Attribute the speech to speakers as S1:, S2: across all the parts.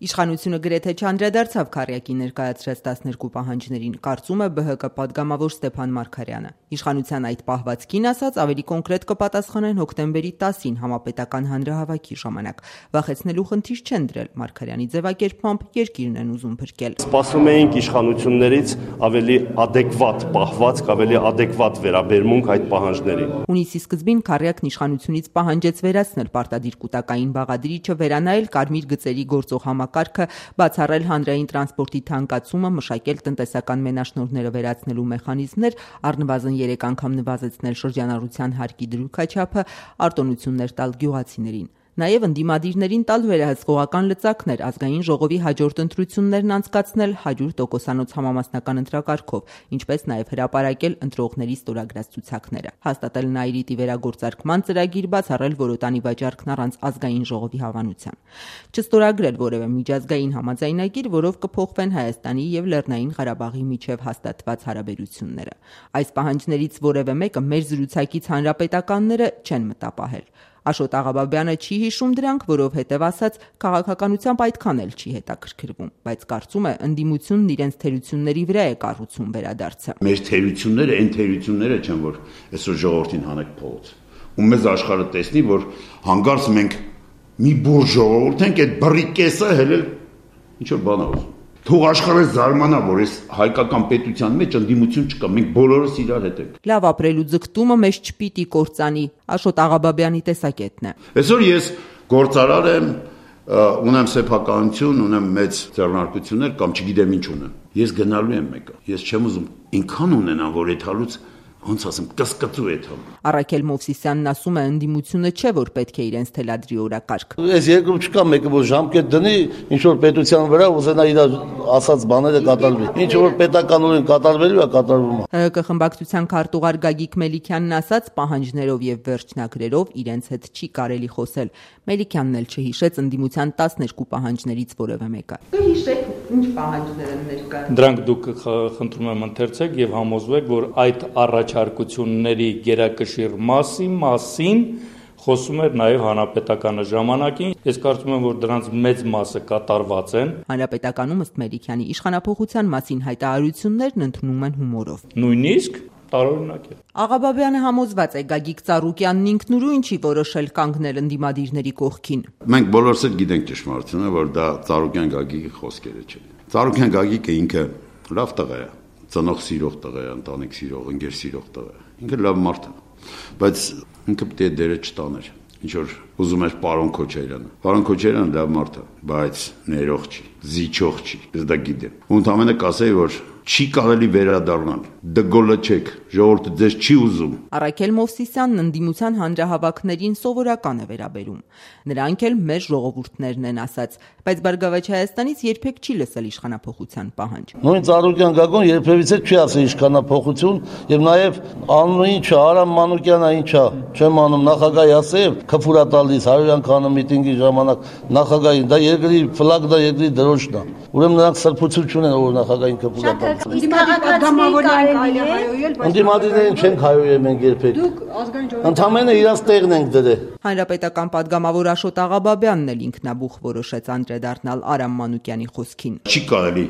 S1: Իշխանությունը գրեթե չանդրադարձավ Քառյակի ներկայացրած 12 պահանջներին, կարծում է ԲՀԿ պատգամավոր Ստեփան Մարգարյանը։ Իշխանության այդ պահվածքին ասած ավելի կոնկրետ կպատասխանեն հոկտեմբերի 10-ին համապետական հանրահավաքի ժամանակ։ Վախեցնելու խնդիր չեն դրել, Մարգարյանի ձևակերպմամբ երկիրն են ուզում փրկել։
S2: Սպասում էինք իշխանություններից ավելի ադեկվատ պահվածք, ավելի ադեկվատ վերաբերմունք այդ պահանջներին։
S1: Հունիսի սկզբին Քառյակն իշխանությունից պահանջեց վերացնել պարտադիր կൂട്ടակային բաղադրիչը, վերանայել կարմիր գծերի գործող համակարգը, բացառել հանրային տրանսպորտի թանկացումը, մշակել տնտեսական մենաշնորհները վերացնելու մեխանիզմներ, առնվազն 3 անգամ նվազեցնել շրջանառության հարկի դրույքաչափը, արտոնություններ տալ գյուղացիներին։ Նաև ընդդիմադիրներին տալ վերահսկողական լծակներ, ազգային ժողովի հաջորդ ընտրություններն անցկացնել 100%-անոց համամասնական ընտրակարգով, ինչպես նաև հրապարակել ընտրողների ստորագրած ցուցակները, հաստատել Նաիրիտի վերագործարկման ծրագիր, բացառել որոտանի վաճառքն առանց ազգային ժողովի հավանության, չստորագրել որևէ միջազգային համաձայնագիր, որով կփոխվեն Հայաստանի եւ Լեռնային Ղարաբաղի միջև հաստատված հարաբերությունները։ Այս պահանջներից որևէ մեկը մեր զրուցակից հանրապետականները չեն մտապահել։ Աշոտ Աղաբաբյանը չի հիշում դրանք, որովհետև ասաց քաղաքականությամբ այդքան էլ չի հետաքրքրվում, բայց կարծում է ընդդիմությունն իրենց թերությունների վրա է կառուցում վերադարձը։
S3: Մեր թերությունները այն թերությունները չեն, որ այսօր ժողովրդին հանեք փողոց։ Ու մեզ աշխարհը տեսնի, որ հանկարծ մենք մի բուր ժողովուրդ ենք, այդ բռի կեսը հելել ինչ որ բան ուզում։ Թող աշխարհը զարմանա, որ այս հայկական պետության մեջ ընդդիմություն չկա, մենք բոլորս իրար հետ ենք։
S1: Լավ ապրելու ձգտումը մեզ չպիտի կործանի, Աշոտ Աղաբաբյանի տեսակետն է։
S3: Այսօր ես գործարար եմ, ունեմ սեփականություն, ունեմ մեծ ձեռնարկություններ կամ չգիտեմ ինչ ունեմ։ Ես գնալու եմ մեկը։ Ես չեմ ուզում ինքան ունենամ, որ այդ հալուց ոնց ասեմ, կսկծու է թվում։
S1: Առաքել Մովսիսյանն ասում է, ընդդիմությունը չէ, որ պետք է իրենց թելադրի օրակարգ։
S4: Այս երկրում չկա մեկը, որ ժամկետ դնի, ինչ որ պետության վրա ուզենա իր ասած բաները կատարվի։ Ինչ որ պետականորեն կատարվելու է, կատարվում է։
S1: ՀՀԿ խմբակցության քարտուղար Գագիկ Մելիքյանն ասաց, պահանջներով եւ վերջնագրերով իրենց հետ չի կարելի խոսել։ Մելիքյանն էլ չհիշեց ընդդիմության 12 պահանջներից որևէ մեկը։ Հիշեք, ինչ պահանջներ են ներկա։
S5: Դրանք դուք խնդրում եմ ընթերցեք եւ համոզվեք, որ այդ առաջարկությունների գերակշիռ մասին խոսում էր նաև հանրապետականը ժամանակին։ Ես կարծում եմ, որ դրանց մեծ մասը կատարված են։
S1: Հանրապետականում ըստ Մելիքյանի իշխանափոխության մասին հայտարարություններն ընդունում են հումորով։
S5: Նույնիսկ տարօրինակ է։
S1: Աղաբաբյանը համոզված է Գագիկ Ծառուկյանն ինքնուրույն ինչի որոշել կանգնել ընդդիմադիրների կողքին։
S3: Մենք բոլորս էլ գիտենք ճշմարտությունը, որ դա Ծառուկյան Գագիկի խոսքերը չէ։ Ծառուկյան Գագիկը ինքը լավ տղա է, ծնող սիրող տղա է, ընտանիք սիրող, ընկեր սիրող տղա է։ Ինքը լավ մարդ է, բայց ինքը պետք է դերը չտաներ։ Ինչ որ ուզում էր պարոն Քոչարյանը։ Պարոն Քոչարյանը լավ մարդ է, բայց ներող չի, զիջող չի։ Ես դա գիտեմ։ Ու ընդամենը կասեի, որ չի կարելի վերադառնալ։ Դգոլը չեք, ժողովուրդը ձեզ չի ուզում։
S1: Առաքել Մովսիսյանն ընդդիմության հանրահավաքներին սովորական է վերաբերում։ Նրանք էլ մեր ժողովուրդներն են ասած, բայց Բարգավաճ Հայաստանից երբեք չի լսել իշխանափոխության պահանջ։
S4: Նույն Ծառուկյան Գագոն երբևիցե չի ասել իշխանափոխություն, եւ նաեւ անունը ինչա, Արամ Մանուկյանը ինչա, չեմ անում, նախագահի ասել, քֆուրա տալիս 100 անգամ միտինգի ժամանակ նախագահին, դա երկրի ֆլագ, դա երկրի դրոշն է։ Ուրեմն նրանք սրբություն չունեն, որ նախագահին քֆուրա տան։ Ընդդիմադիրներին չենք հայոյել մենք երբեք։ Ընդամենը իրաց տեղն ենք դրել։
S1: Հանրապետական պատգամավոր Աշոտ Աղաբաբյանն էլ ինքնաբուխ որոշեց անդրադառնալ Արամ Մանուկյանի խոսքին։
S3: Չի կարելի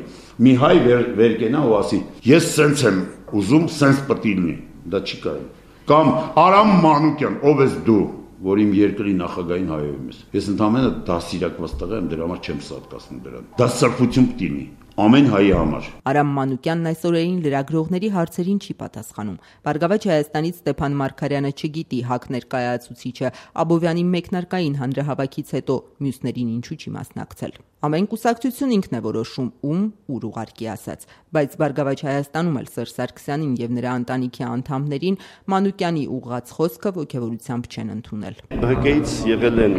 S3: մի հայ վերկենա ու ասի, ես սենց եմ ուզում, սենց պետք է լինի։ Դա չի կարելի։ Կամ Արամ Մանուկյան, ով ես դու, որ իմ երկրի նախագահին հայոյում ես։ Ես ընդամենը դասիրակված տղա եմ, դրա համար չեմ սատկացնում դրան։ Դա սրբություն պետք է լինի։ Ամեն հայի համար։
S1: Արամ Մանուկյանն այս օրերին լրագրողների հարցերին չի պատասխանում։ Բարգավաճ Հայաստանից Ստեփան Մարգարյանը չգիտի ՀԱԿ ներկայացուցիչը Աբովյանի մեկնարկային հանրահավաքից հետո մյուսներին ինչու չի մասնակցել։ Ամեն կուսակցություն ինքն է որոշում ում ուր ուղարկի ասած, բայց Բարգավաճ Հայաստանում էլ Սերժ Սարգսյանին եւ նրա ընտանիքի անդամներին Մանուկյանի ուղղած խոսքը ոգևորությամբ չեն ընդունել։
S2: ԲՀԿ-ից եղել են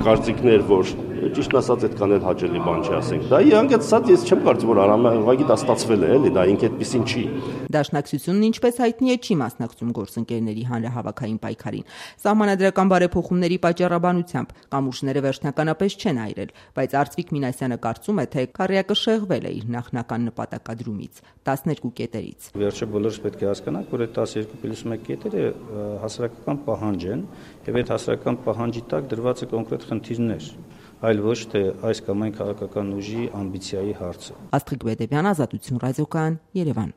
S2: կարծիքներ, որ ճիշտ ասած այդքան էլ հաճելի բան չի ասենք։ Դա իհանգեցած ես չեմ կարծում, որ Արամը ուղղակի դա ստացվել է, էլի, դա ինքը այդպեսին չի։
S1: Դաշնակցությունն ինչպես հայտնի է չի մասնակցում գործընկերների հանրահավաքային պայքարին։ Սահմանադրական բարեփոխումների պատճառաբանությամբ կամուրջները վերջնականապես չեն այրել, բայց Արծվիկ Մինասյանը կարծում է, թե Քառյակը շեղվել է իր նախնական նպատակադրումից 12 կետերից։
S6: Վերջը բոլորս պետք է հասկանանք, որ այդ 12+1 կետերը հասարակական պահանջ են, եւ այդ հասարակական պահանջի տակ դրված է կոնկրետ խնդիրներ։ այլ ոչ թե այս կամ այն քաղաքական ուժի ամբիցիայի հարցը։
S1: Աստղիկ Բեդևյան, Ազատություն ռադիոկայան, Երևան։